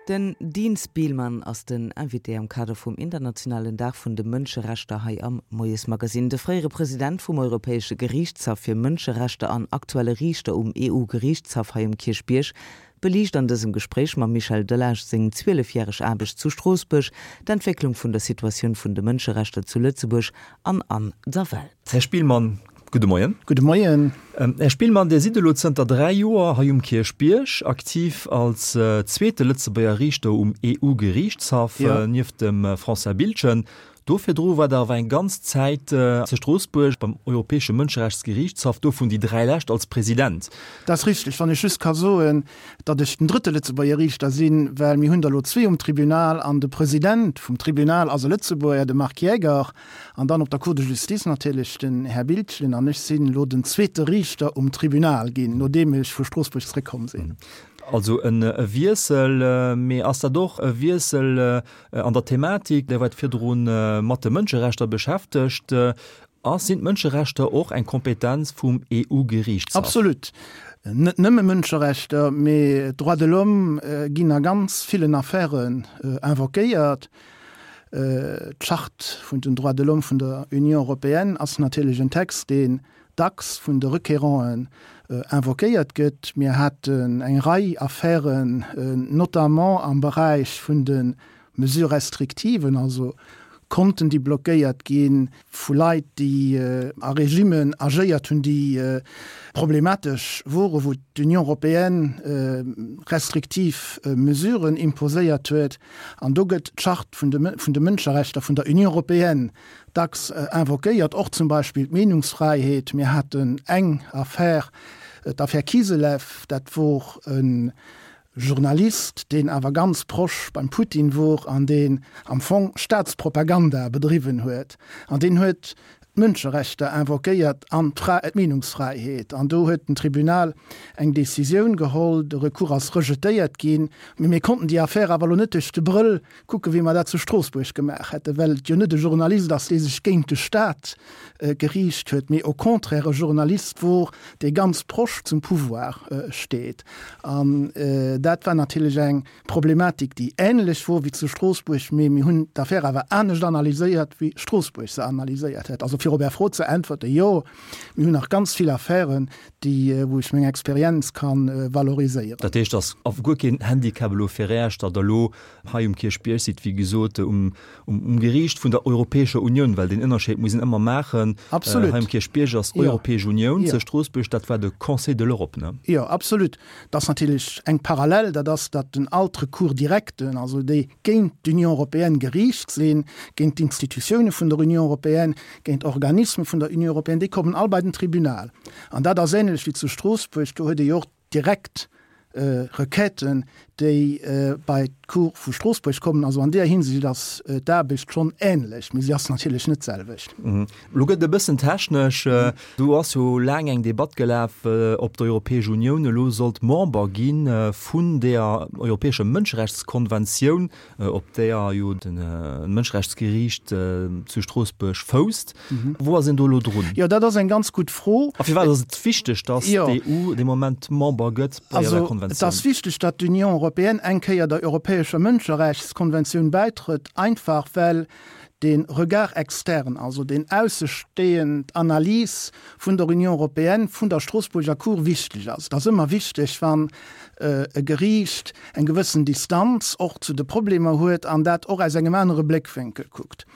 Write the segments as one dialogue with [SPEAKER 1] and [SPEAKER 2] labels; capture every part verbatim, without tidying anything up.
[SPEAKER 1] Den Dean Spielmann ass den Invité am Kader vum internationalen Dag vun de Mënscherechter hei am Moiesmagazin. De fréiere President vum Europäesche Geriichtshaff fir Mënscherechter an aktuelle Riichter um EU-Geriichtshaff hei um Kierchbierg beliicht an dësem Gespréich mam Michel Delage seng zwielefjäreg Aarbecht zu Stroossbuerg, d'Entwécklung vun der Situatioun vun de Mënscherechter zu Lëtzebuerg an an der Welt.
[SPEAKER 2] Här Spielmann, gudde Moien.
[SPEAKER 3] Gudde Moien.
[SPEAKER 2] Här Spielmann, Dir sidd elo zënter dräi Joer hei um Kierchbierg, aktiv als zweete Lëtzebuerger Riichter um EU-Geriichtshaff, nieft dem François Biltgen. Do virdru war Der awer eng ganz Zäit zu Stroossbuerg beim Europäesche Mënscherechtsgeriichtshaff, dovun déi dräi lescht als President.
[SPEAKER 3] Dat ass richteg. Wann ech just ka soen, datt ech den drëtte Lëtzebuerger Riichter sinn, well mir hunn der elo zwee um Tribunal an de President vum Tribunal ass e Lëtzebuerger, de Marc Jaeger, an dann op der Cour de justice natierlech den Här Biltgen. An ech sinn elo den zweete Riichter um Tribunal ginn, nodeem ech vu Stroossbuerg zréckkomm sinn.
[SPEAKER 2] Also e Wiessel, mee ass dat och e Wiessel an der Thematik? Dir waart virdru mat de Mënscherechter beschäftegt. A sinn d'Mënscherechter och eng Kompetenz vum EU-Geriichtshaff?
[SPEAKER 3] Absolut. Net nëmme Mënscherechter, mee d'Droits de l'homme ginn a ganz villen Affären invoquéiert. D'Charte vun den Droits de l'homme vun der Union européenne ass natierlech en Text, deen dacks vun de Requéranten invoquéiert gëtt. Mir haten eng Rei Affären, notamment am Beräich vun de Mesures restrictives, also Konten, déi blockéiert gi vu Leit, déi a Regimmen agéiert hunn, déi problematesch woren, wou d'Union européenne restriktiv Mesuren imposéiert huet. An do gëtt d'Charte vun de Mënscherechter vun der Union européenne dacks invoquéiert, och zum Beispill d'Meenungsfräiheet. Mir haten eng Affär, d'Affär Kiselev, dat wor e Journalist, deen awer ganz proche beim Putin wor an deen am Fong Staatspropaganda bedriwwen huet. An deen huet d'Mënscherechter invoquéiert an d'Meenungsfräiheet. An do huet den Tribunal eng Decisioun geholl, de Recours ass rejetéiert ginn. Mee mir konnten déi Affär awer elo net duerch de Brëll kucken, wéi mer dat zu Stroossbuerg gemaach hätten, well et jo net e Journalist ass, dee sech géint de Staat geriicht huet, mee au contraire e Journalist wor, dee ganz proche zum Pouvoir steet. An dat war natierlech eng Problematik, déi änlech wor wéi zu Stroossbuerg, mee mir hunn d'Affär awer anescht analyséiert, wéi Stroossbuerg se analyséiert huet. Also fir op Är Fro ze äntwerten, Jo, mir hunn nach ganz vill Affären, déi, wou ech meng Experienz ka valoriséieren.
[SPEAKER 2] Dat heescht, et ass guer keen Handicap elo fir Iech, datt Der elo hei um Kierchbierg sidd, wéi gesot, um, um Geriicht vun der Europäescher Unioun, well deen Ënnerscheed muss een ëmmer maachen.
[SPEAKER 3] Absolut.
[SPEAKER 2] Hei um Kierchbierg ass Europäesch Unioun, zu Stroossbuerg, dat war de Conseil de l'Europe, ne?
[SPEAKER 3] Jo, absolut. Et ass natierlech eng Parallel, dat ass, datt den all d'Recours directen, also déi géint d'Union européenne geriicht sinn, géint d'Institutioune vun der Union européenne, géint Organisme vun der Union européenne, déi kommen all bei den Tribunal. An dat ass ähnlech wéi zu Stroossbuerg, do huet ee jo och direkt Requêten, déi bei d'Cour vu Stroossbuerg kommen. Also an deeër Hinsicht ass d'Aarbecht schonn ähnlech, mee si ass natierlech net d'selwecht.
[SPEAKER 2] Elo gëtt et e bëssen technesch. Do ass jo laang eng Debatt gelaf, ob d'Europäesch Unioun elo sollt Member gi vun deeër Europäescher Mënscherechtskonventioun, op deeër jo de Mënscherechtsgeriicht zu Stroossbuerg fousst. Wou ass een do elo drun?
[SPEAKER 3] Jo, dat ass eng ganz gutt Fro.
[SPEAKER 2] A firwat ass et wichteg, datt d'EU dee Moment Member gëtt bei där Konventioun?
[SPEAKER 3] Also, et ass wichteg, datt d'Union européenne eng Kéier der Europäescher Mënscherechtskonventioun bäitrëtt, einfach well de Regard externe, also deen aussestehend Analys vun der Union européenne, vun der Stroossbuerger Cour wichteg ass. Et ass ëmmer wichteg, wann e Geriicht eng gewëssen Distanz och zu de Problemer huet an dat och aus engem anere Bléckwénkel kuckt.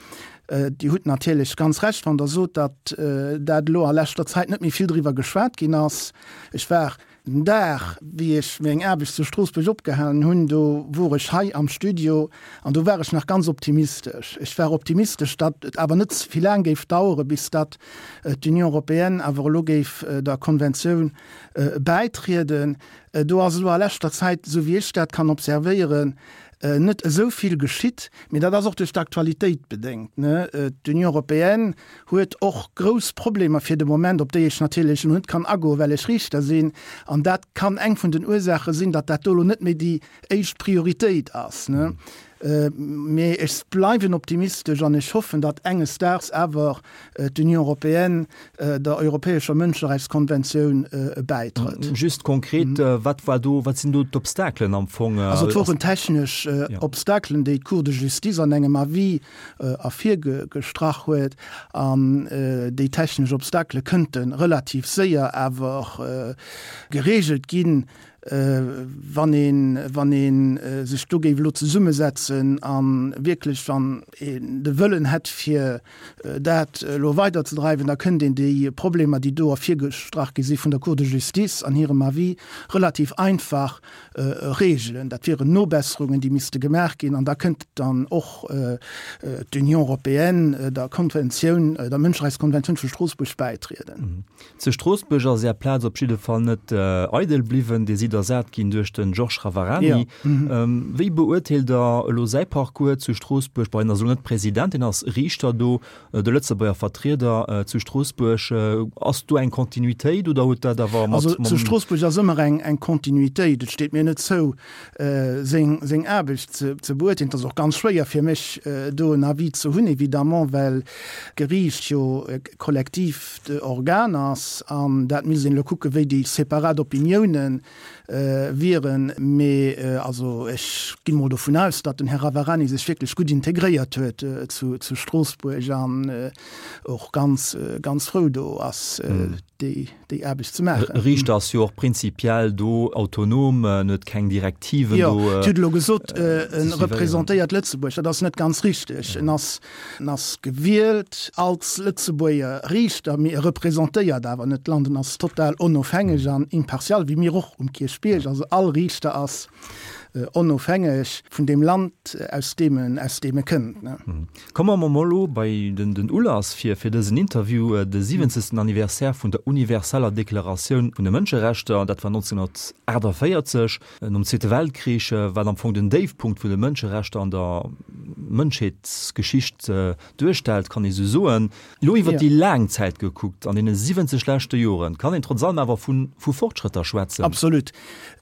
[SPEAKER 3] Dir hutt natierlech ganz Recht, wann Der sot, datt dat elo a leschter Zäit net méi vill driwwer geschwat ginn ass. Ech war Den Dag, wéi ech meng Aarbecht zu Stroossbuerg opgehalen hunn, do wor ech hei am Studio an do war ech nach ganz optimistesch. Ech war optimistesch, datt et awer net vill laang géif dauere bis datt d'Union européenne awer elo géif der Konventioun bäitrieden. Do ass elo a leschter Zäit, esou wéi ech dat kann observéieren, net esou vill geschitt, mee dat ass och duerch d'Aktualitéit bedéngt. D'Union européenne huet och grouss Problemer fir de Moment, op déi ech natierlech elo net kann agoen, well ech Riichter sinn. An dat kann eng vun den Ursaache sinn, datt dat do elo net méi déi éischt Prioritéit ass. Mee ech bleiwen optimistesch an ech hoffen, datt enges Daags awer d'Union européenne der Europäescher Mënscherechtskonventioun bäitrëtt.
[SPEAKER 2] Just konkret, wat war do, wat sinn do d'Obstakelen am Fong?
[SPEAKER 3] Also et woren technesch Obstakelen, déi d'Cour de Justice an engem Avis ervirgestrach huet. An déi technesch Obstakele kënnte relativ séier awer geregelt ginn, wann een, wann ee sech do géif elo zesummesetzen a wierklech wann een de Wëllen hätt fir dat elo weiderzedreiwen, da kënnt een déi Problemer, déi do ervirgestrach gi si vun der Cour de Justice an hirem Avis, relativ einfach regelen. Dat wieren Nobesserungen, déi misste gemaach ginn an da kënnt dann och d'Union européenne der Konventioun, der Mënscherechtskonventioun vu Stroossbuerg bäitrieden.
[SPEAKER 2] Zu Stroossbuerg ass Är Plaz op jidde Fall net eidel bliwwen. Dir sidd ersat ginn duerch de Georges Ravarani. Wéi beurteelt Der elo säi Parcours zu Stroossbuerg? Bon, hien ass elo net President, hien ass Riichter do, de Lëtzebuerger Vertrieder zu Stroossbuerg. Ass do eng Kontinuitéit oder huet dat awer
[SPEAKER 3] mat. Also zu Stroossbuerg ass ëmmer eng Kontinuitéit. Et steet mir net zou, seng Aarbecht ze beurteelen. Et ass och ganz schwéier fir mech, do en Avis ze hunn, évidemment, well d'Geriicht jo e kollektiivt Organ ass an dat misst een elo kucken, wéi déi separat Opiniounen wieren. Mee also ech ginn emol dovun aus, datt den Här Ravarani sech wierklech gutt integréiert huet zu Stroossbuerg an och ganz, ganz frou do ass, déi déi Aarbecht ze maachen.
[SPEAKER 2] E Riichter ass jo och prinzipiell do autonom, en huet keng Direktiven
[SPEAKER 3] do. Jo, Dir hutt elo gesot, e representéiert Lëtzebuerg. Dat ass net ganz richteg. En ass, en ass gewielt als Lëtzebuerger Riichter, mee e representéiert awer net d'Land. En ass total onofhängeg an impartial, wéi mir och um Kierchbierg. Also all Riichter ass onofhängeg vun deem Land, aus deem en, aus deem e kënnt.
[SPEAKER 2] Komme mer mol elo bei den, den Ulass fir, fir dësen Interview, de siwwenzegsten Anniversaire vun der universeller Deklaratioun vun de Mënscherechter. Dat war nonzénhunnertaachtavéierzeg, nom Zweete Weltkrich, wat am Fong den Déifpunkt vun de Mënscherechter an der Mënschheetsgeschicht duerstellt, kann ee sou soen. Elo iwwer déi laang Zäit gekuckt, an deene siwwenzeg leschte Joren, kann een trotz allem awer vu, vu Fortschrëtter schwätzen.
[SPEAKER 3] Absolut.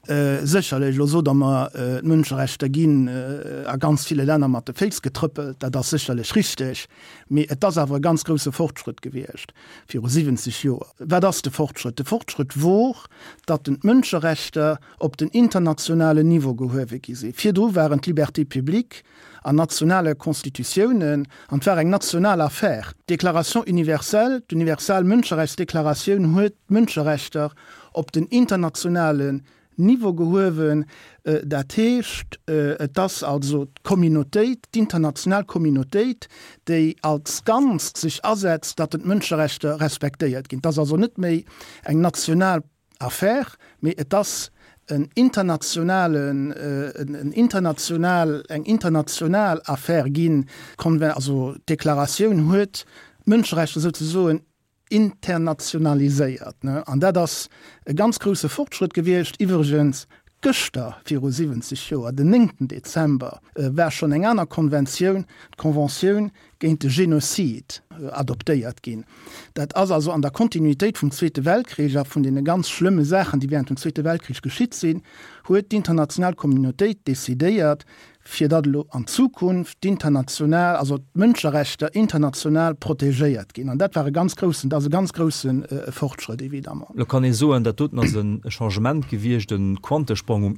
[SPEAKER 3] Sécherlech, elo sot Der mer, d'Mënscherechter ginn a ganz ville Länner mat de Féiss getrëppelt. Dat ass sécherlech richteg, mee et ass awer e ganz grousse Fortschrëtt gewiescht viru siwwenzeg Joer. Wat ass de Fortschrëtt? De Fortschrëtt wor, datt den d'Mënscherechter op den internationalen Niveau gehuewe gi sinn. Virdru waren d'Libertés publiques an nationale Constitutiounen an et war eng national Affaire. D'Déclaration universelle, d'universal Mënscherechtsdeklaratioun huet d'Mënscherechter op den internationalen Niveau gehuewen. Dat heescht, et ass also d'Communautéit, d'international Communautéit, déi als Ganzt sech asetzt, datt d'Mënscherechter respektéiert ginn. Et ass also net méi eng national Affaire, mee et ass en internationalen, en international, eng international Affaire ginn. D'Conven-, also d'Deklaratioun huet d'Mënscherechter souzesoen internationaliséiert. An dat ass e ganz grousse Fortschrëtt gewiescht. Iwwregens gëschter viru siwwenzeg Joer, den néngten Dezember, war schonn eng aner Konventioun, d'Conventioun géint de Génocide, adoptéiert ginn. Dat ass also an der Kontinuitéit vum Zweete Weltkrich a vun deene ganz schlëmme Saachen, déi während dem Zweete Weltkrich geschitt sinn, huet d'international Communautéit decidéiert, fir datt elo an Zukunft d'international, also d'Mënscherechter international protegéiert ginn. An dat war e ganz groussen, dat ass e ganz grousse Fortschrëtt, évidemment.
[SPEAKER 2] Elo kann ee soen, dat doten ass e Changement gewiescht, e Quantesprong um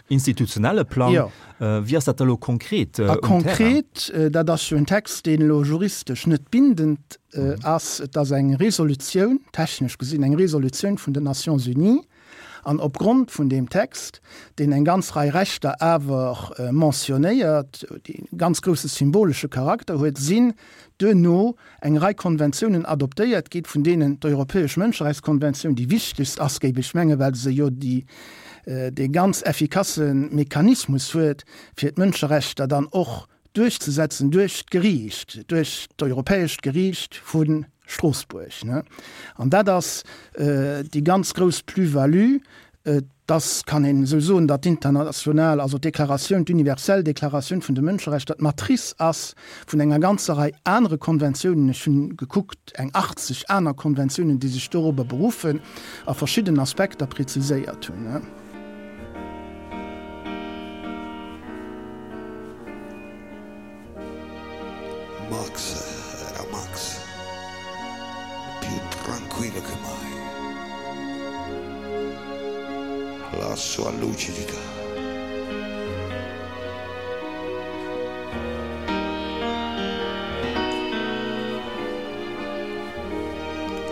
[SPEAKER 2] institutionelle Plang. Jo. Wéi ass dat da elo konkret um Terrain?
[SPEAKER 3] A konkret, dat ass jo en Text, deen elo juristesch net bindend ass. Et ass eng Resolutioun, technesch gesinn eng Resolutioun vun den Nations Unies. An opgrond vun deem Text, deen eng ganz Rei Rechter awer mentionnéiert, dee ganz grousse symbolesche Charakter huet, sinn duerno eng Rei Konventiounen adoptéiert ginn, vun deenen d'Europäesch Mënscherechtskonventioun déi wichtegst ass, géif ech mengen, well se jo déi, dee ganz effikasse Mechanismus huet, fir d'Mënscherechter dann och duerchzesetzen duerch d'Geriicht, duerch d'Europäescht Geriicht vu Stroossbuerg. An dat ass déi ganz grouss Plus-value, dass, kann een esou soen, datt d'international, also d'Deklaratioun, d'universell Deklaratioun vun de Mënscherechter d'Matrice ass vun enger ganzer Rei anere Konventiounen. Ech hunn gekuckt, eng achtzeg aner Konventiounen, déi sech dorobber beruffen a verschidden Aspekter preziséiert hunn.
[SPEAKER 4] La sua lucidità.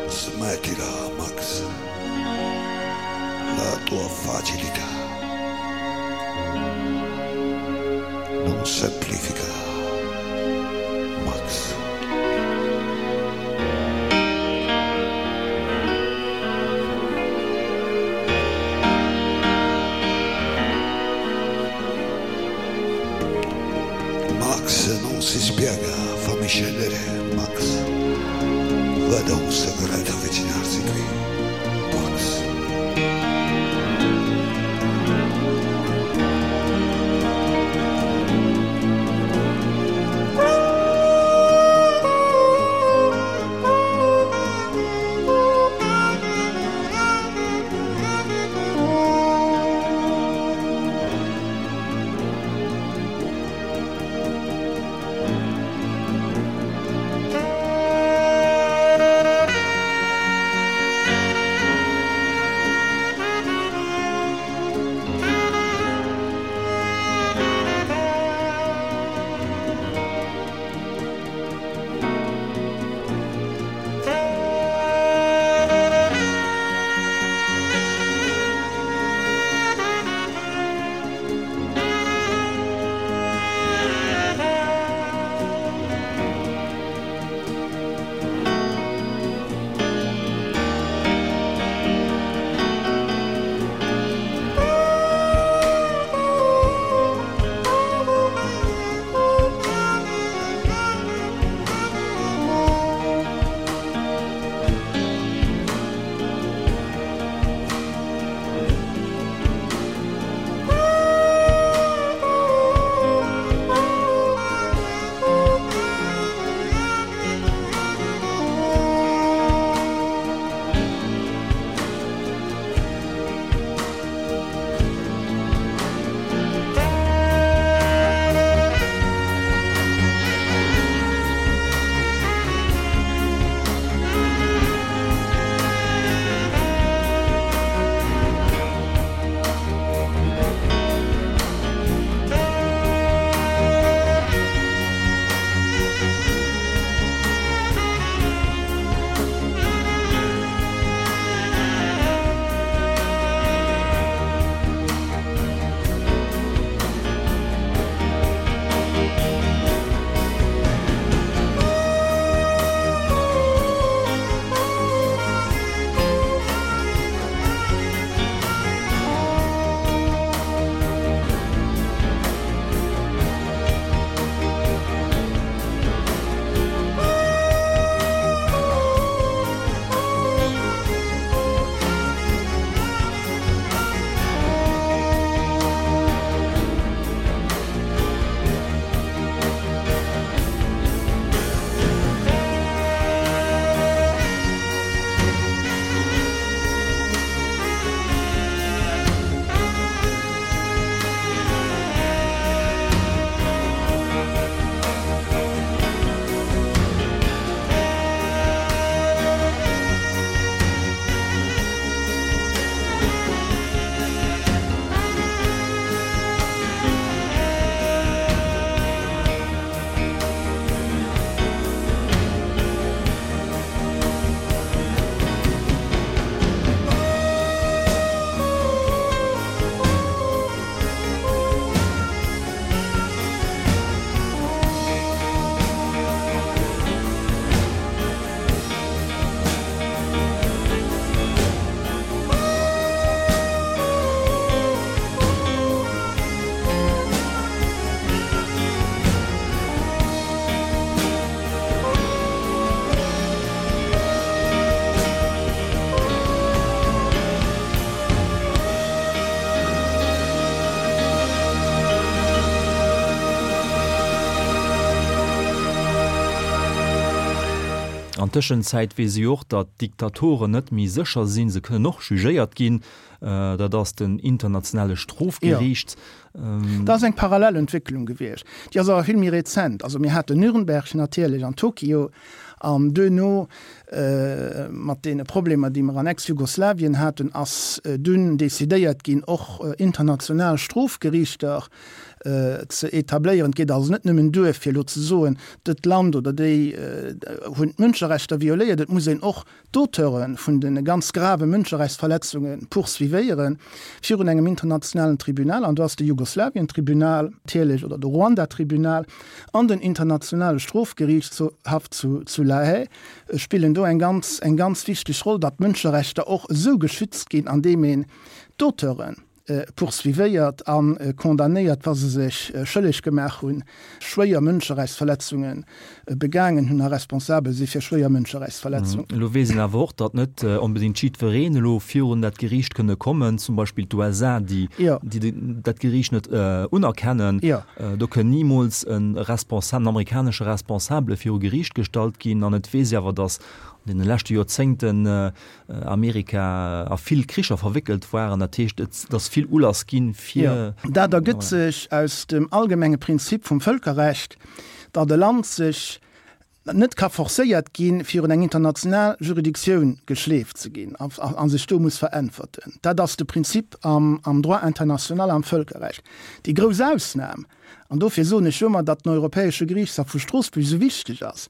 [SPEAKER 4] Smettila, Max. La tua facilità. Non semplifica, Max. Max non si spiega, fammi scendere, Max. Vedo un segreto avvicinarsi qui, Max.
[SPEAKER 2] An Tëschenzäit weess si och, datt Diktatoren net méi sécher sinn, se kënnen och jugéiert ginn, dat ass den internationale Strofgeriicht.
[SPEAKER 3] Dat ass eng parallel Entwécklung gewiescht, déi ass awer vill méi rezent. Also mir haten Nürnberg natierlech an Tokio An duerno, mat deene Problemer, déi mer an Ex-Jugoslawien haten, ass dunn decidéiert ginn, och international Strofgeriichter ze etabléieren. Et geet also net nëmmen duer, fir elo ze soen, dët Land oder déi hunn d'Mënscherechter violéiert. Et muss een och d'Auteure vun de ganz grave Mënscherechtsverletzunge poursuivéiere virun engem internationalen Tribunal. An do ass de Jugoslawien-Tribunal natierlech oder de Ruanda-Tribunal an den Internationale Strofgeriichtshaff zu La Haye spillen do eng ganz, eng ganz wichteg Roll, datt d'Mënscherechter och esou geschützt ginn, andeem een d'Auteuren poursuivéiert a condamnéiert, wa se sech schëlleg gemaach hunn, schwéier Mënscherechtsverletzunge begaangen hunn a responsabel si fir schwéier Mënscherechtsverletzungen.
[SPEAKER 2] Elo weess een awer och, datt net onbedéngt jiddwereen elo virun dat Geriicht kënne kommen, zum Beispill d'USA, déi dat Geriicht net unerkennen. Do kënn nimools e Responsabelen, en amerikanesche Responsabele viru Geriicht gestallt ginn. An et weess ee awer, datt an deene leschte Joerzéngten Amerika a vill Kricher verwéckelt waren. Dat heescht, et ass vill Ulass ginn, fir.
[SPEAKER 3] Jo, dat ergëtt sech aus dem allgemenge Prinzip vum Vëlkerrecht, datt e Land sech net ka forcéiert ginn, virun eng international Juridictioun geschleeft ze ginn a sech do muss veräntwerten. Dat ass de Prinzip am Droit international, am Vëlkerrecht. Déi grouss Ausnam, an dofir soen ech jo ëmmer, datt den Europäesche Geriichtshaff vu Stroossbuerg esou wichteg ass,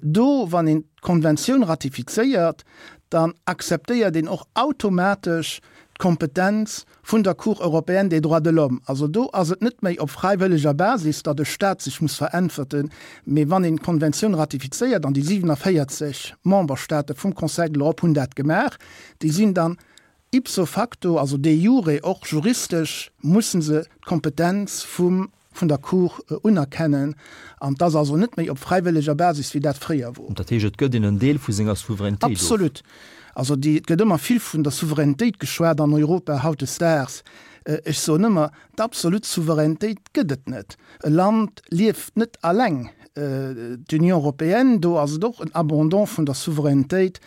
[SPEAKER 3] Do, wann een d'Konventioun ratifizéiert, dann akzeptéiert een och automatesch d'Kompetenz vun der Cour européenne des droits de l'homme. Also do ass et net méi op fräiwëlleger Basis, datt e Stat sech muss veräntwerten, mee wann een d'Konventioun ratifizéiert, an déi siwenavéierzeg Memberstate vum Conseil de l'Europe hunn dat gemaach, déi sinn dann ipso facto, also de jure, och juristesch musse se d'Kompetenz vum vun der Cour unerkennen, an et ass also net méi op fräiwëlleger Basis, wéi dat fréier wor.
[SPEAKER 2] Dat heescht, et gëtt een en Deel vu senger Souveränitéit of?
[SPEAKER 3] Absolut. Also déi, et gëtt ëmmer vill vun der Souveränitéit geschwat an Europa hautdesdaags. Ech soen ëmmer, d'absolut Souveränitéit gëtt et net. E Land lieft net alleng. D'Union européenne, do ass et och en Abandon vun der Souveränitéit.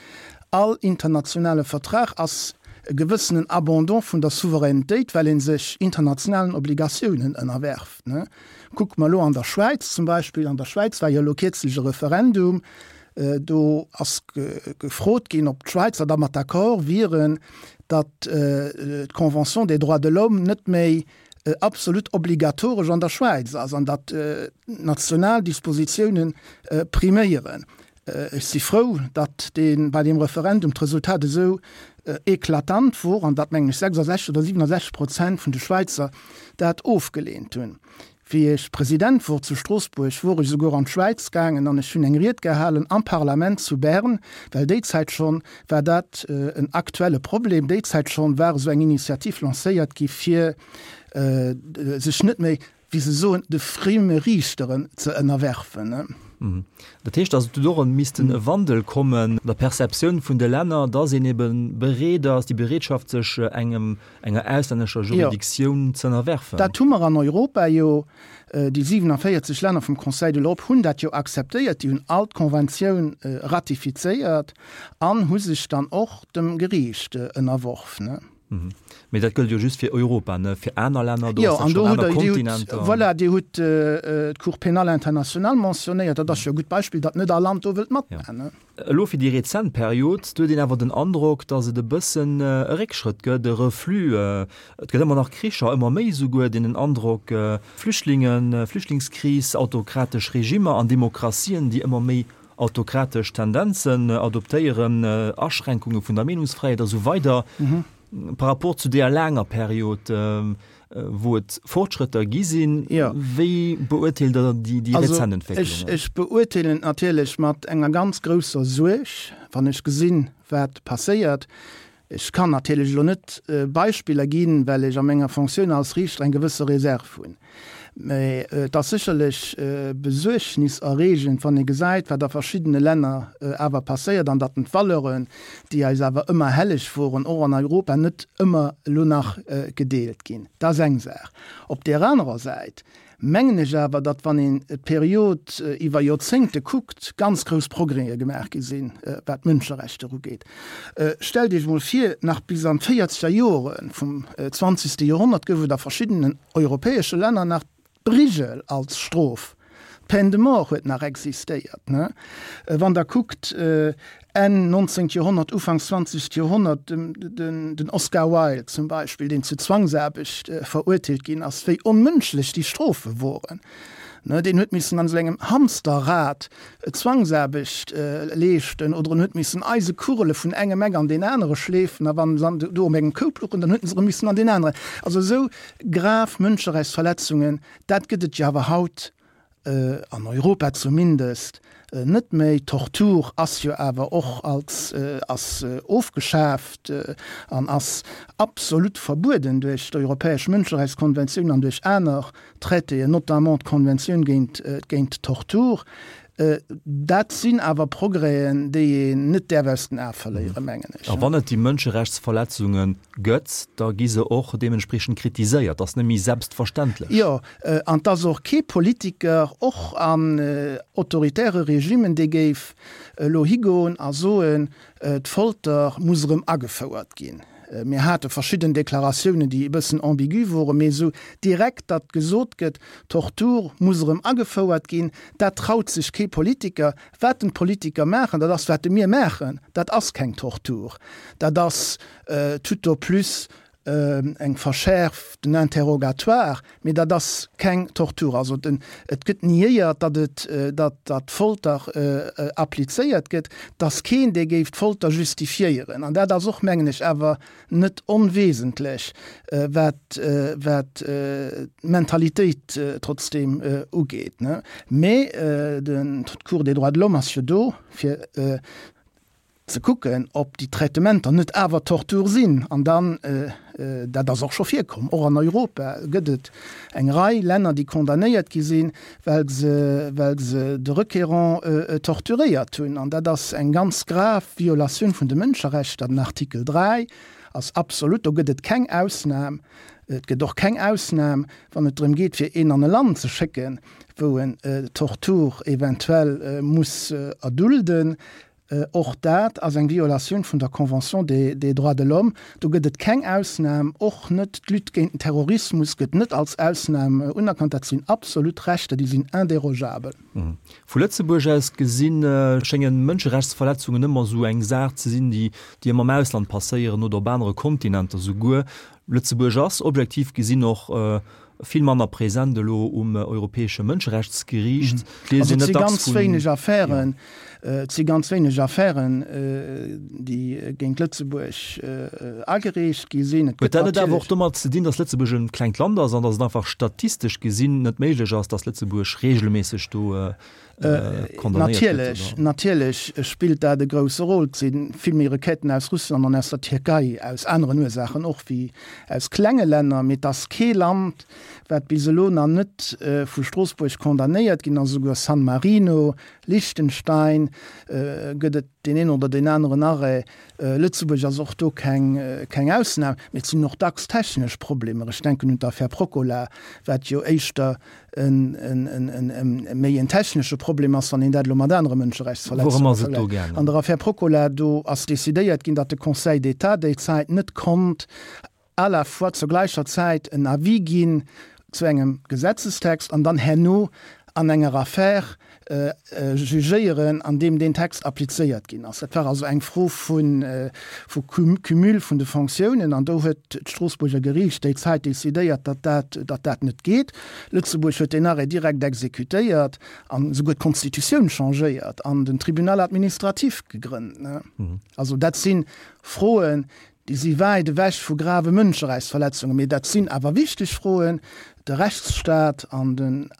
[SPEAKER 3] All internationale Vertrag ass e gewëssenen Abandon vun der Souveränitéit, well ee sech internationalen Obligatiounen ënnerwerft. Kucke mer elo an der Schwäiz zum Beispill, An der Schwäiz war jo elo kierzlech e Referendum, do ass gefrot ginn, ob d'Schwäizer dermat d'accord wieren, datt d'Convention des droits de l'homme net méi absolut obligatoresch an der Schwäiz ass an datt national Dispositiounen priméieren. Ech si frou, datt dee bei deem Referendum d'Resultat esou eklatant wor an datt, mengen ech, sechsundsechzeg oder siwenundsechzeg Prozent vun de Schwäizer dat ofgeleent hunn. Wéi ech President wor zu Stroossbuerg, wor ech esouguer an d'Schwäiz gaangen an ech hunn eng Ried gehalen am Parlament zu Bern, well déi Zäit schonn war dat en aktuelle Problem, déi Zäit schonn war esou eng Initiativ lancéiert gi fir sech net méi, wéi se soen, de frieme Riichteren ze ënnerwerfen.
[SPEAKER 2] Dat heescht also, do erëm missten e Wandel kommen an der Perceptioun vun de Länner, dass een ebe bereet ass, déi Bereetschaft, sech engem, enger auslännescher Juridictioun ze ënnerwerfen.
[SPEAKER 3] Dat hu mer an Europa jo, déi siwenavéierzeg Länner vum Conseil de l'Europe hunn dat jo akzeptéiert, déi hunn all d'Konventioun ratifizéiert an hu sech dann och dem Geriicht ënnerworf.
[SPEAKER 2] Mee dat gëllt jo just fir Europa, ne? Fir aner Länner, do
[SPEAKER 3] Jo,
[SPEAKER 2] ass dat
[SPEAKER 3] an do
[SPEAKER 2] schonn
[SPEAKER 3] hutt
[SPEAKER 2] aner
[SPEAKER 3] Der, Dir hutt,
[SPEAKER 2] Kontinenter.
[SPEAKER 3] voilà, Dir hutt d'Cour pénale internationale mentionnéiert. Dat ass jo e gutt Beispill, datt net all Land do wëllt
[SPEAKER 2] Ja.
[SPEAKER 3] matmachen, ne?
[SPEAKER 2] Elo fir déi rezent Period, do huet een awer den Androck, datt et e bëssen e Réckschrëtt gëtt, e Reflux. Et gëtt ëmmer nach Kricher, ëmmer méi esouguer, deen den Androck, Flüchtlingen, Flüchtlingskris, autokratesch Regimmer an Demokratien, déi ëmmer méi autokratesch Tendenzen adoptéieren, Aschränkunge vun der Meenungsfräiheet a sou weider. Par rapport zu deeër laanger Period, wou et Fortschrëtter gi sinn, wéi beurteelt Der déi rezent Entwécklungen?
[SPEAKER 3] Also ech beurteelen et natierlech mat enger ganz grousser Suerg, wann ech gesinn, wat passéiert. Ech kann natierlech elo net Beispiller ginn, well ech a menger Fonctioun als Riichter eng gewësse Reserve hunn. Mä et ass sécherlech besuergniserreegend, wann ee gesäit, wat a verschiddene Länner awer passéiert an datt d'Valeuren, déi eis awer ëmmer helleg woren, och an Europa, net ëmmer elo nach gedeelt ginn. Dat ass eng Saach. Op där anerer Säit mengen ech awer, datt, wann een d'Period iwwer Joerzéngte kuckt, ganz grouss Progrèse gemaach gi sinn, wat d'Mënscherechter ugeet. Stellt Iech emol vir, nach bis an d'véierzeger Jore vum zwanzegste Joerhonnert gouf et a verschiddenen europäesche Länner nach d'Brigel als Strof. D'Peine de mort huet nach existéiert. Wann Der kuckt, Enn nonzéngt Joerhonnert, Ufanks zwanzegt Joerhonnert, den Oscar Wilde zum Beispill, deen zu Zwangsaarbecht verurteelt ginn ass, wéi onmënschlech déi Strofe woren. Deen huet missen an esou engem Hamsterrad Zwangsaarbecht leeschten oder en huet missen Eisekugele vun engem Eck an deen anere schleefen a wann se do op engem Koup louchen, dann huet en se erëm missen an deen aneren. Also esou grav Mënscherechtsverletzungen, dat gëtt et jo awer haut an Europa zumindest net méi. D'Tortur ass jo awer och als ass ofgeschaaft an ass absolut verbueden duerch d'Europäesch Mënscherechtskonventioun an duerch aner Traitéen, notamment d'Konventioun géint géint d'Tortur. Dat sinn awer Progrèsen, déi een net däerf aus den Ae verléieren, mengen ech.
[SPEAKER 2] A wann et déi Mënscherechtsverletzunge gëtt, da gi se och deementspriechend kritiséiert. Dat ass net méi selbstverständlech.
[SPEAKER 3] Jo, an et ass och kee Politiker, och an autoritäre Regimen, dee géif elo higoen a soen, d'Folter muss erëm agefouert ginn. Mir hate verschidden Deklaratiounen, déi e bëssen ambigu woren, mee esou direkt, datt gesot gëtt, d'Tortur muss erëm agefouert ginn, dat traut sech kee Politiker. Wat den d'Politiker maachen, dat ass, wat de mir maachen, dat ass keng Tortur, dat ass tout au plus eng verschäerften Interrogatoire, mee dat ass keng Tortur. Also den, et gëtt niéiert, datt et, datt, datt Folter applizéiert gëtt. Et ass keen, dee géif d'Folter justifiéieren. An dat ass och, mengen ech, awer net onwesentlech, wat, wat d'Mentalitéit trotzdeem ugeet. Mee den, d'Cour des droits de l'homme ass jo do, fir ze kucken, ob déi Traitementer net awer Tortur sinn. An dann, dat ass och scho virkomm, och an Europa gëtt et eng Rei Länner, déi condamnéiert gi sinn, well se, well se de Requérant torturéiert hunn. An dat ass eng ganz grav Violatioun vun de Mënscherechter. Den Artikel dräi ass absolut, do gëtt et keng Ausnam. Et gëtt och keng Ausnam, wann et drëm geet, fir een an e Land ze schécken, wou en Tortur eventuell muss erdulden. Och dat ass eng Violatioun vun der Convention des des droits de l'homme. Do gëtt et keng Ausnam, och net d'Lutte géint den Terrorismus gëtt net als Ausnam unerkannt. Dat sinn absolut Rechter, déi sinn indérogeabel.
[SPEAKER 2] Vu Lëtzebuerg aus gesinn, schéngen Mënscherechtsverletzungen ëmmer esou eng Saach ze sinn, déi déi ëmmer am Ausland passéieren oder op anere Kontinenter souguer. Lëtzebuerg ass objektiv gesinn och vill manner present elo um Europäesche Mënscherechtsgeriicht.
[SPEAKER 3] Also et si ganz wéineg Affären, et si ganz wéineg Affären, déi géint Lëtzebuerg agereecht gi sinn.
[SPEAKER 2] Huet dat net awer och domat ze dinn, datt Lëtzebuerg e klengt Land ass an datt et einfach statistesch gesinn net méiglech ass, datt Lëtzebuerg regelméisseg do condamnéiert gëtt?
[SPEAKER 3] Natierlech, natierlech spillt dat e grousse Rôle. Et si vill méi Requêten aus Russland an aus der Tierkei, aus aneren Ursaachen och, wéi aus klenge Länner. Mee et ass kee Land, wat bis elo nach net vu Stroossbuerg condamnéiert ginn ass. Esouguer San Marino, Liechtenstein gëtt et deen een oder deen aneren Arrêt. Lëtzebuerg ass och do keng, keng Ausnam. Mee et sinn och dacks technesch Problemer. Ech denken un d'Affär Procola, wat jo éischter en, en, en, en, en méi en technesche Problem ass, wann een dat elo mat anere Mënscherechtsverletzunge vergläicht. An der Affär Procola, do ass decidéiert ginn, datt de Conseil d'État déi Zäit net konnt à la fois zur gläicher Zäit en Avis ginn zu engem Gesetzestext an dann herno an enger Affär jugéieren, an deem deen Text applizéiert ginn ass. Dat war also eng Fro vu Cumul vun de Fonctiounen, an do huet d'Stroossbuerger Geriicht déi Zäit decidéiert, datt dat, datt dat net geet. Lëtzebuerg huet deen Arrêt direkt exekutéiert an esouguer d'Constitutioun changéiert an den Tribunal administratif gegrënnt. Also dat si Froen, déi si wäit ewech vu grave Mënscherechtsverletzungen, mee dat sinn awer wichteg Froen. De Rechtsstaat an den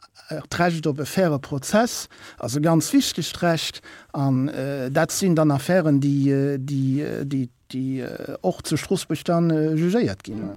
[SPEAKER 3] d'Recht op e faire Prozess ass e ganz wichtegt Recht an dat sinn dann Affären, déi, déi, déi, déi och zu Stroossbuerg dann jugéiert ginn.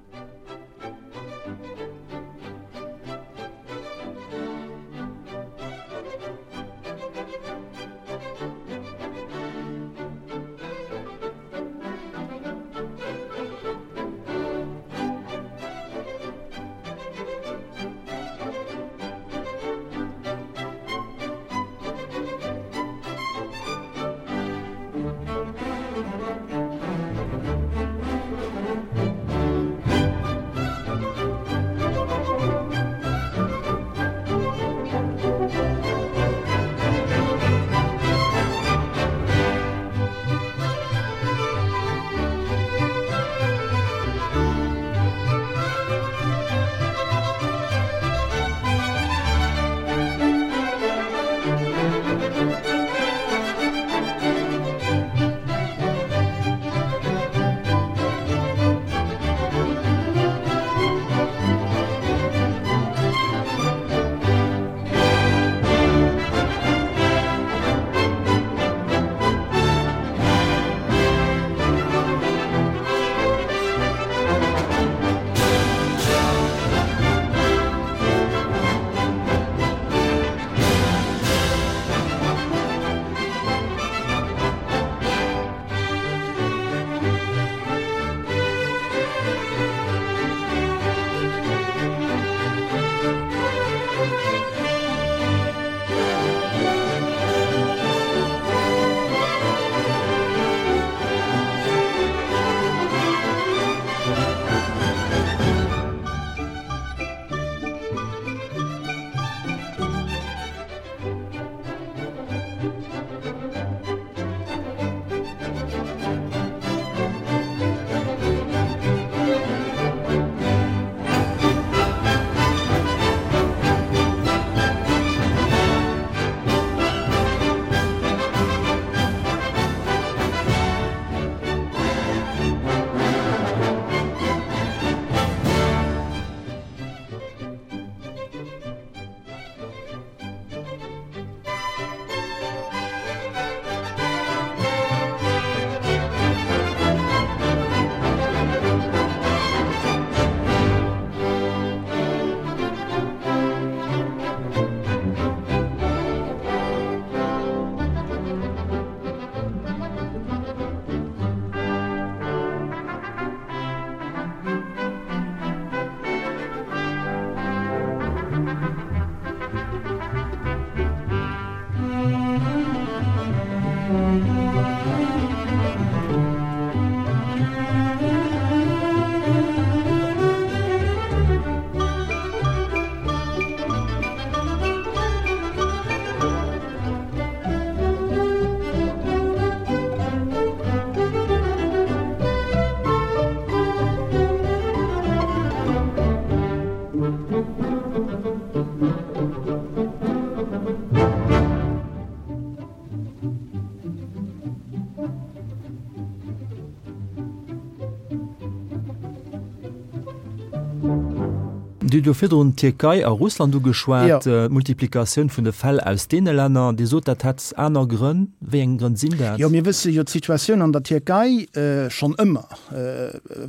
[SPEAKER 2] Dir hutt jo virdrun d'Tierkei a Russland ugeschwat, d'Multiplikatioun vun de Fäll aus deene Länner. Dir sot, dat hätt aner Grënn. Wéi eng Grënn sinn dat?
[SPEAKER 3] Jo, mir wësse jo, d'Situatioun an der Tierkei schonn ëmmer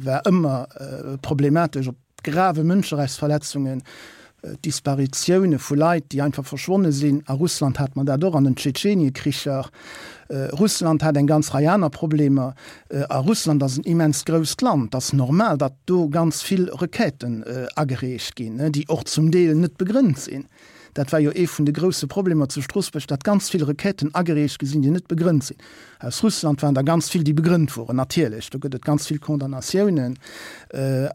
[SPEAKER 3] war ëmmer problematesch, op grave Mënscherechtsverletzungen, Disparitioune vu Leit, déi einfach verschwonne sinn. A Russland hat mer dat och an den Tschetscheniekricher. Russland hat eng ganz Rei aner Problemer. A Russland ass en immens grousst Land. Et ass normal, datt do ganz vill Requêten agereecht ginn, déi och zum Deel net begrënnt sinn. Dat war jo ee vun de grousse Problemer zu Stroossbuerg, datt ganz vill Requêten agereecht gi sinn, déi net begrënnt sinn. Aus Russland waren der ganz vill, déi begrënnt woren, natierlech. Do gëtt et ganz vill Condamnatiounen,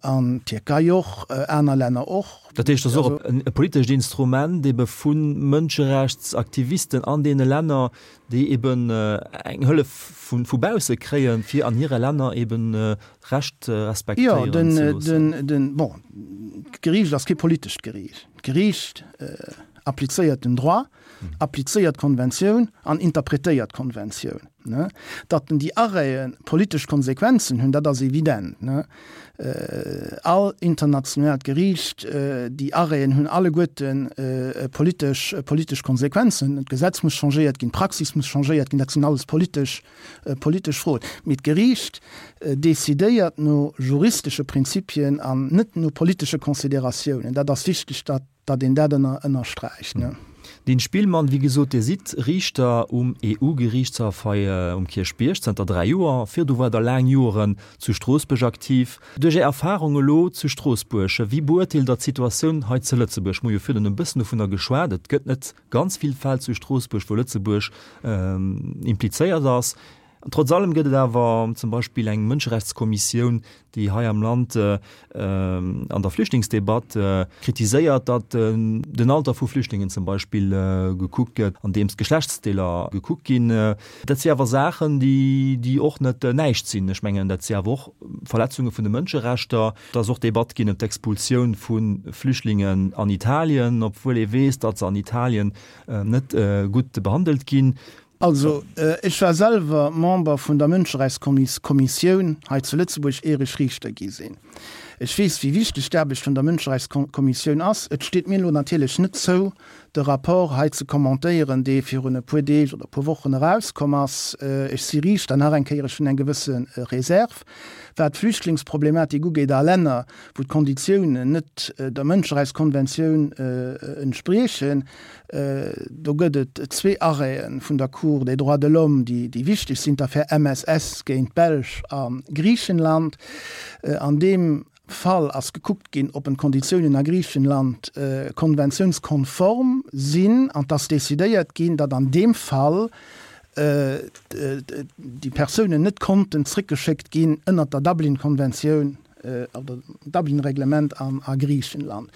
[SPEAKER 3] an d'Tierkei och, aner Länner och.
[SPEAKER 2] Dat heescht, et ass och e politescht Instrument ebe vu Mënscherechtsaktivisten an deene Länner, déi eben eng Hëllef vu bausse kréien, fir an hire Länner eben Recht respektéieren ze loossen.
[SPEAKER 3] Jo, den, bon, d'Geriicht ass kee politescht Geriicht. D'Geriicht applizéiert den Droit, applizéiert d'Konventioun an interpretéiert d'Konventioun. Datt déi Arrêtë politesch Konsequenzen hunn, dat ass evident. All internationaalt Geriicht, déi Arrêten hunn alleguerte politesch, politesch Konsequenzen. D'Gesetz muss changéiert ginn, d'Praxis muss changéiert ginn, dat sinn alles politesch, politesch Froen. Mee d'Geriicht decidéiert no juristesche Prinzipien an net no politesche Consideratiounen. Dat ass wichteg, datt, datt een dat ënner, ënnersträicht.
[SPEAKER 2] Dean Spillmann, wéi gesot, Dir sidd Riichter um E U-Geriichtshaff hei um Kierchbierg zënter dräi Joer. Virdu waart Der laang Joren zu Stroossbuerg aktiv. Duerch Är Erfarung elo zu Stroossbuerg, wéi beurteelt Der d'Situatioun hei zu Lëtzebuerg? Mir hu jo virdrun e bëssen dovunner geschwat, et gëtt net ganz vill Fäll zu Stroossbuerg, wou Lëtzebuerg implizéiert ass. Trotz allem gëtt et awer zum Beispill eng Mënscherechtskommissioun, déi hei am Land an der Flüchtlingsdebatt kritiséiert, datt den Alter vu Flüchtlingen zum Beispill gekuckt gëtt, andeems d'Geschlechtsdeeler gekuckt ginn. Dat si awer Saachen, déi och net näischt sinn. Ech mengen, dat si awer och Verletzunge vun de Mënscherechter. Et ass och Debatt ginn ëm d'Expulsioun vu Flüchtlingen an Italien, obwuel ee weess, datt se an Italien net gutt behandelt ginn.
[SPEAKER 3] Also, ech war selwer Member vun der Mënscherechtskommissioun hei zu Lëtzebuerg, ier ech Riichter gi sinn. Ech weess, wéi wichteg d'Aarbecht vun der Mënscherechtskommissioun ass. Et steet mir elo natierlech net zou, de Rapport hei ze commentéieren, dee virun e puer Deeg oder e puer Wochen erauskomm ass. Ech si Riichter, nach eng Kéier, ech hunn eng gewësse Reserve, wat d'Flüchtlingsproblematik ugeet a Länner, wou d'Konditiounen net der Mënscherechtskonventioun entspriechen. Do gëtt et zwee Arrêtë vun der Cour des droits de l'homme, déi wichteg sinn, d'Affär M S S géint d'Belsch a Griichenland. An deem Fall ass gekuckt ginn, ob d'Konditiounen a Griichenland konventiounskonform sinn, an et ass decidéiert ginn, datt an deem Fall déi Persounen net konnten zréckgeschéckt ginn ënnert der Dublin-Konventioun oder Dublin-Reglement a Griichenland.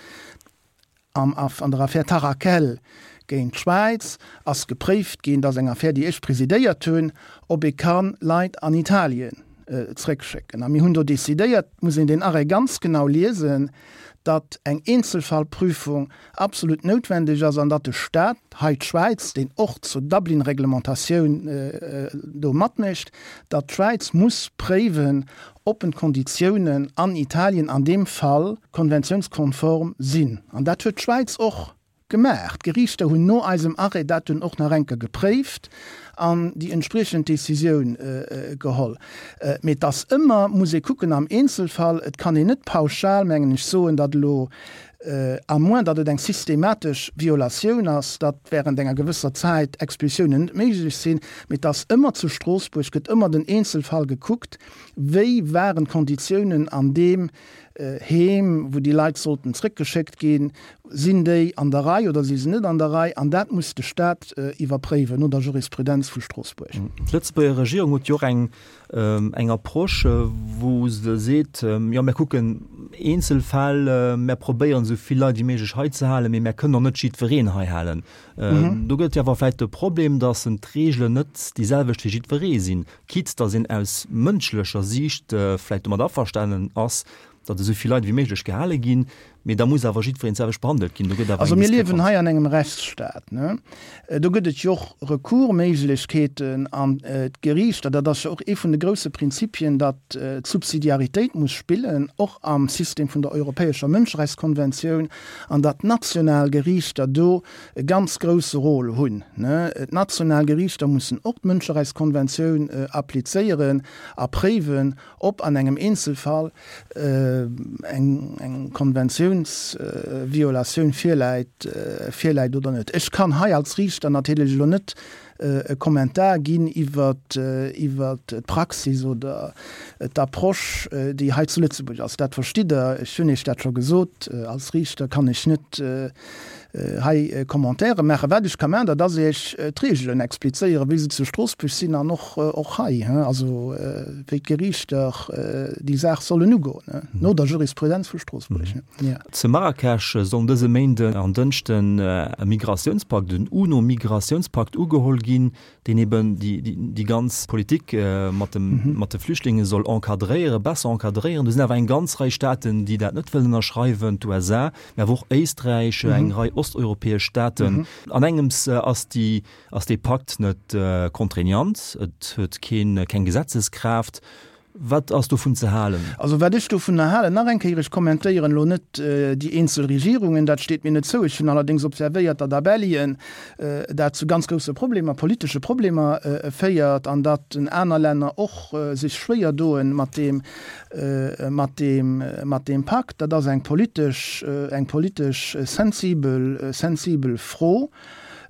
[SPEAKER 3] Am an der Affär Tarakhel géint d'Schwäiz ass gepréift ginn, dat ass eng Affär, déi ech presidéiert hunn, ob ee ka Leit an Italien zréckschécken. A mir hunn do decidéiert, et muss een deen Arrêt ganz genau liesen, datt eng Eenzelfallprüfung absolut noutwendeg ass an datt de Staat, hei d'Schwäiz, deen och zur Dublin-Reglementatioun do matmécht, datt d'Schwäiz muss préiwen, ob en d'Konditiounen an Italien an deem Fall konventiounskonform sinn. An dat huet d'Schwäiz och gemaach. D'Geriichter hunn no eisem Arrêt dat dunn och nach eng Kéier gepréift an déi entspriechend Decisioun geholl. Mee et ass ëmmer, muss ee kucken am Eenzelfall. Et kann een net pauschal, mengen ech, soen, datt elo, à moins datt et eng systematesch Violatioun ass, datt während enger gewësser Zäit Expulsiounen net méiglech sinn. Mee et ass ëmmer zu Stroossbuerg gëtt ëmmer den Eenzelfall gekuckt, wéi waren d'Konditiounen an deem Heem, wou déi Leit sollten zréckgeschéckt ginn, sinn déi an der Rei oder si se net an der Rei? An dat muss de Staat iwwerpréiwen no der Jurisprudenz vu Stroossbuerg.
[SPEAKER 2] D'Lëtzebuerger Regierung huet jo och eng eng Approche, wou se seet, jo mir kucken eenzel Fäll, mir probéieren esou vill Leit wéi méiglech hei ze halen, mee mir kënnen och net jiddwereen hei halen. Do gëtt jo awer vläicht de Problem, datt d'Reegelen net déi selwecht fir jiddweree sinn, quitte datt een aus mënschlecher Siicht vläicht domat averstanen ass, datt esou vill Leit wéi méiglech gehale ginn, Mee da muss awer jiddwereen d'selwecht behandelt ginn. Do gëtt awer
[SPEAKER 3] Also
[SPEAKER 2] eng
[SPEAKER 3] mir liewen
[SPEAKER 2] Diskrepanz.
[SPEAKER 3] hei an engem Rechtsstaat, ne? Do gëtt et jo och Recoursméiglechkeeten an d'Geriichter, dat ass jo och ee vun de grousse Prinzipien, datt d'Subsidiaritéit muss spillen, och am System vun der Europäescher Mënscherechtskonventioun, an datt d'national Geriichter do e ganz grousse Rôle hunn, ne? D'national Geriichter mussen och d'Mënscherechtskonventioun applizéieren a préiwen, ob an engem Eenzelfall eng eng Konventiounsviolatioun virläit virläit oder net. Ech kann hei als Riichter natierlech elo net e Kommentar ginn iwwert iwwert d'Praxis oder d'Approche, déi hei zu Lëtzebuerg ass. Dat verstitt Der, ech hunn Iech dat scho gesot, als Riichter kann ech net hei Commentaire maachen. Wat ech ka maachen, dat ass Iech d'Reegelen explizéieren, wéi se zu Stroossbuerg sinn an och och hei, also wéi d'Geriichter déi Saach sollen ugoen, no der Jurisprudenz vu Stroossbuerg.
[SPEAKER 2] Zu Marrakesch sollen dëse Méinden an Dënschden e Migratiounspakt, den UNO-Migratiounspakt ugeholl ginn, deen eben déi ganz Politik mat de Flüchtlinge soll encadréieren, besser encadréieren. Do sinn awer eng ganz Rei Staaten, déi dat net wëllen ënnerschreiwen, d'USA, mä awer och Éisträich, eng Rei osteuropäesch Staaten. An engems ass déi, ass dee Pakt net contraignant, et huet keen, keng Gesetzeskraaft. Wat ass dovun ze halen?
[SPEAKER 3] Also wat ech dovunner halen, nach eng Kéier, ech kommentéieren elo net déi eenzel Regierungen, dat steet mir net zou. Ech hunn allerdéngs observéiert, datt a Belgien dat zu ganz grousse Problemer, politesche Problemer féiert an datt aner Länner och sech schwéier doen mat deem, mat deem, mat deem Pakt. Dat ass eng politesch, eng politesch sensibel, sensibel Fro.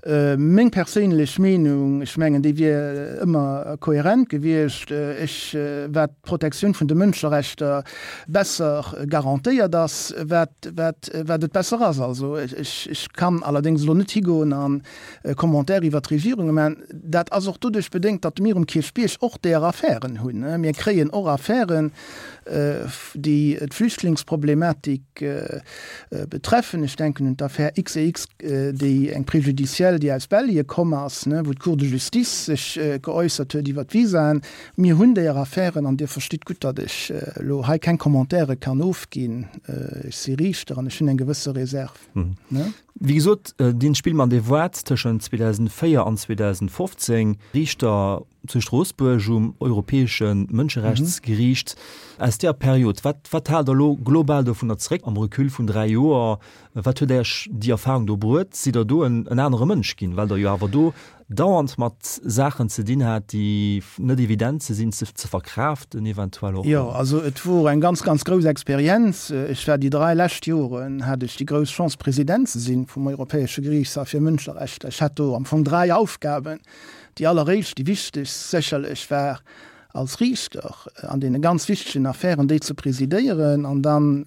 [SPEAKER 3] Meng perséinlech Meenung, ech mengen, déi wier ëmmer kohärent gewiescht, ech, wat d'Protektioun vun de Mënscherechter besser garantéiert ass, wat, wat, wat et besser ass. Also ech, ech kann allerdéngs elo net higoen a Commentaire iwwert d'Regierunge maachen. Dat ass och doduerch bedéngt, datt mir um Kierchbierg och där Affären hunn. Mir kréien och Affären, déi d'Flüchtlingsproblematik betreffen. Ech denken un d'Affär X E X, déi eng Préjudicielle, déi aus Belge komm ass, wou d'Cour de justice sech geäussert huet iwwer d'Visaen. Mir hunn deeër Affären an Dir verstitt gutt, datt ech elo hei keng Commentairë kann ofginn. Ech si Riichter an ech hunn eng gewësse Reserve.
[SPEAKER 2] Wéi gesot, Dean Spielmann, Dir waart tëschent zweedausendvéier an zweedausendfofzéng Riichter zu Stroossbuerg um Europäesche Mënscherechtsgeriicht. Aus där Period, wat, wat haalt Der elo global dovunner zeréck am Recul vun dräi Joer? Wat huet Iech déi Erfahrung do bruet? Sidd Der do en, en anere Mënsch ginn, well Der jo awer do dauernd mat Saachen ze dinn hat, déi net evident ze sinn, ze, ze verkraaften eventuell och?
[SPEAKER 3] Jo, also et wor eng ganz, ganz grouss Experienz. Ech war déi dräi lescht Joren, hat ech déi grouss Chance, President ze sinn vum Europäesche Geriichtshaff fir Mënscherechter. Ech hat do am Fong dräi Aufgaben. Déi alleréischt, déi wichtegst sécherlech war, als Riichter an deene ganz wichtegen Affären déi ze presidéieren an dann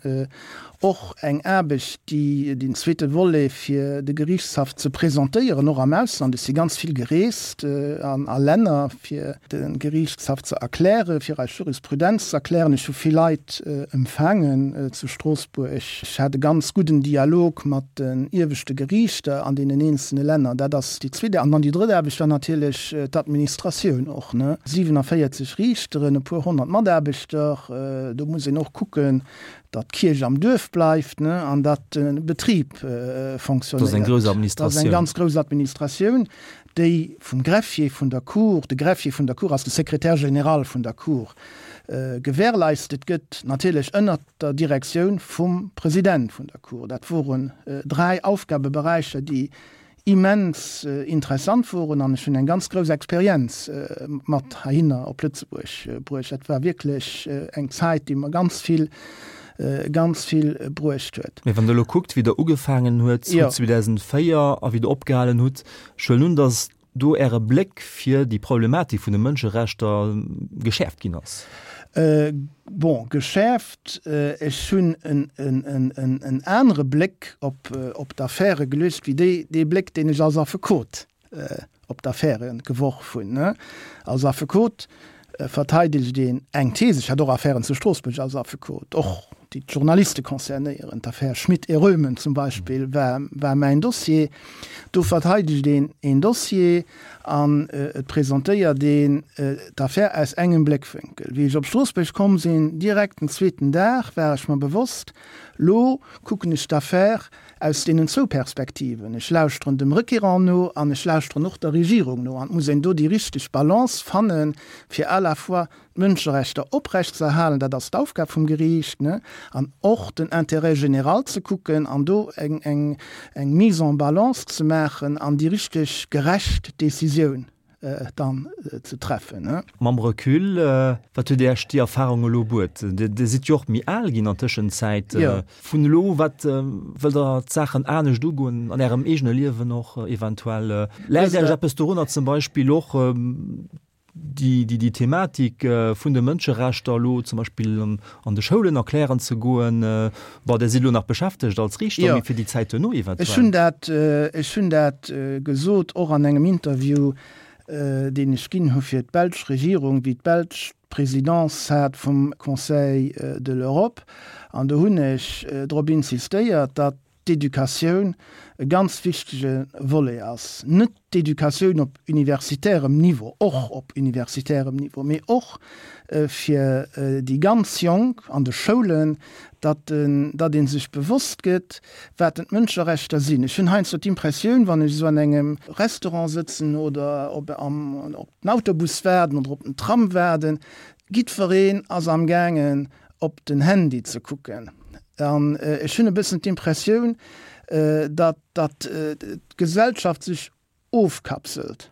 [SPEAKER 3] och eng Aarbecht, déi den zweete Volet fir de Geriichtshaff ze presentéieren, och am Ausland. Ech si ganz vill gereest an a Länner, fir de Geriichtshaff ze erklären, fir eis Jurisprudenz ze erklären. Ech hu vill Leit empfaangen zu Stroossbuerg. Ech hat e ganz gudden Dialog mat den ieweschte Geriichter an deenen eenzelne Länner. Dat ass déi zweet. An dann déi drëtt Aarbecht war natierlech d'Administratioun och, ne? siewenundvierzig Riichteren, e puer honnert Mataarbechter, do muss een och kucken, datt d'Kierch am Duerf bleift, ne, an datt de Betrib fonctionnéiert.
[SPEAKER 2] Dat ass eng grouss
[SPEAKER 3] Dat ass eng
[SPEAKER 2] Administratioun.
[SPEAKER 3] ganz grouss Administratioun, déi vum Greffier vun der Cour, de Greffier vun der Cour ass de Secrétaire général vun der Cour, gewährleistet gëtt, natierlech ënnert der Direktioun vum President vun der Cour. Dat woren dräi Aufgabeberäicher, déi immens interessant woren an ech hunn eng ganz grouss Experienz mat heihinner op Lëtzebuerg bruecht. Dat war wierklech eng Zäit, déi mer ganz vill, ganz vill bruecht huet.
[SPEAKER 2] Mee wann Der elo kuckt, wéi Der ugefaangen huet zweedausendvéier a wéi Der opgehalen hutt, ech huelen un, datt do Äre Bléck fir déi Problematik vun de Mënscherechter geschäerft ginn ass.
[SPEAKER 3] Bon, geschäerft, ech hunn en anere Bléck op d'Affäre geluecht wéi dee Bléck, deen ech als Affekot op d'Affäre geworf hunn. Als Affekot verteidegt een eng These. Ech hat och Affären zu Stroossbuerg als Affekot, och déi d'Journaliste concernéieren. D'Affär Schmit et Röhmen zum Beispill war, war mäin Dossier. Do verteidegt een een Dossier an et presentéiert een d'Affär aus engem Bléckwénkel. Wéi ech op Stroossbuerg komm sinn, direkt den zweeten Dag, war ech mer bewosst, Lo kucken ech d'Affär aus deenen zwou Perspektiven. Ech lauschteren dem Requérant no an ech lauschteren och der Regierung no. An et muss een do déi richteg Balance fannen, fir à la fois d'Mënscherechter oprechtzeerhalen, dat ass d'Aufgab vum Geriicht, ne, an och den Intérêt général ze kucken an do eng, eng, eng Mise en balance ze maachen an déi richteg gerecht Décisioun dann ze treffen.
[SPEAKER 2] Mam Recul, wat huet Iech déi Erfarung elo bruet? Dir sidd jo och méi al ginn an Tëschenzäit. Vun elo, wat wëllt Der d'Saachen anescht ugoen an Ärem eegene Liewen och eventuell? Läit Iech eppes dorunner zum Beispill och déi, déi Thematik vun de Mënscherechter elo zum Beispill an de Schoulen erklären ze goen? Bon, Dir sidd elo nach beschäftegt als Riichter, mee fir déi Zäit duerno eventuell?
[SPEAKER 3] Ech hunn dat, ech hunn dat gesot, och an engem Interview, deen ech ginn hu fir d'belsch Regierung, wéi d'Belsch d'Presidence hat vum Conseil de l'Europe. An do hunn ech drop insistéiert, datt d'Educatioun e ganz wichtege Volet ass. Net d'Educatioun op universitärem Niveau, och op universitärem Niveau, mee och fir déi ganz Jonk an de Schoulen, datt datt ee sech bewosst gëtt, wat denn d'Mënscherechter sinn. Ech hunn heiansdo d'Impressioun, wann ech esou an engem Restaurant sëtzen oder op am op den Autobus waarden oder op den Tram waarden, jiddwereen ass amgaangen op den Handy ze kucken. An ech hunn e bëssen d'Impressioun, datt datt d'Gesellschaft sech ofkapselt.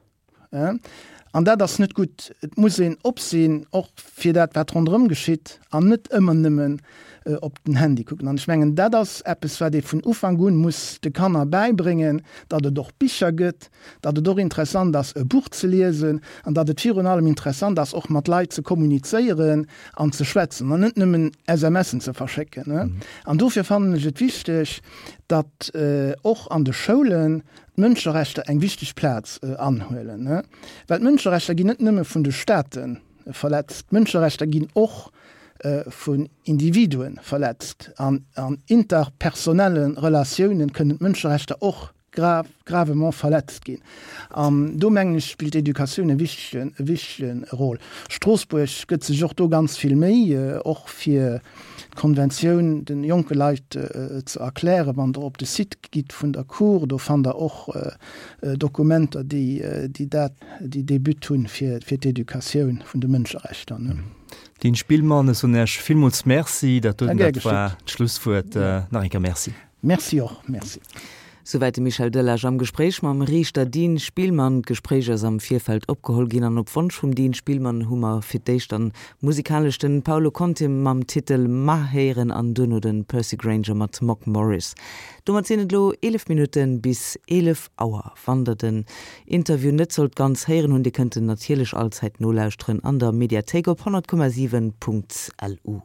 [SPEAKER 3] An dat ass net gutt. Et muss een op sinn, och fir dat, wat ronderëm geschitt, an net ëmmer nëmmen op den Handy kucken. An ech mengen, dat ass eppes, wat ee vun Ufank un muss de Kanner bäibréngen, datt et och Bicher gëtt, datt et och interessant ass, e Buch ze liesen, an datt et virun allem interessant ass, och mat Leit ze kommunizéieren an ze schwätzen an net nëmmen SMSen ze verschécken. An dofir fannen ech et wichteg, datt och an de Schoulen d'Mënscherechter eng wichteg Plaz anhuelen. Well d'Mënscherechter ginn net nëmme vun de Staate verletzt, d'Mënscherechter ginn och vun Individue verletzt. An an interpersonelle Relatiounen kënnen d'Mënscherechter och grav, gravement verletzt ginn. An do mengen ech spillt d'Educatioun e wichtegen, e wichtege Rôle. Stroossbuerg gëtt sech och do ganz vill Méi, och fir d'Konventioun de jonke Leit ze erklären. Wann Der op de Site gitt vun der Cour, do fannt Der och Dokumenter, déi, déi dat, déi dee But hunn, fir, fir d'Educatioun vun de Mënscherechter.
[SPEAKER 2] Dean Spillmann, ech soen Iech villmools Merci. Dat
[SPEAKER 3] doten,
[SPEAKER 2] dat war d'Schlusswuert. Nach eng Kéier Merci.
[SPEAKER 3] Merci och. Merci.
[SPEAKER 1] Souwäit de Michel Delage am Gespréich mam Riichter Dean Spillmann. D'Gespréich ass am Virfeld opgeholl ginn an op Wonsch vum Dean Spillmann hu mer fir d'éischt dann musikalesch den Paolo Conte mam Titel Ma héieren an duerno den Percy Grainger mat Mock Morris. Domat sinn et elo eelef Minutten bis eelef Auer. Wann der den Interview net sollt ganz héieren hunn, Dir kënnt en natierlech allzäit nolauschteren an der Mediathéik op honnert Komma siwen Punkt LU.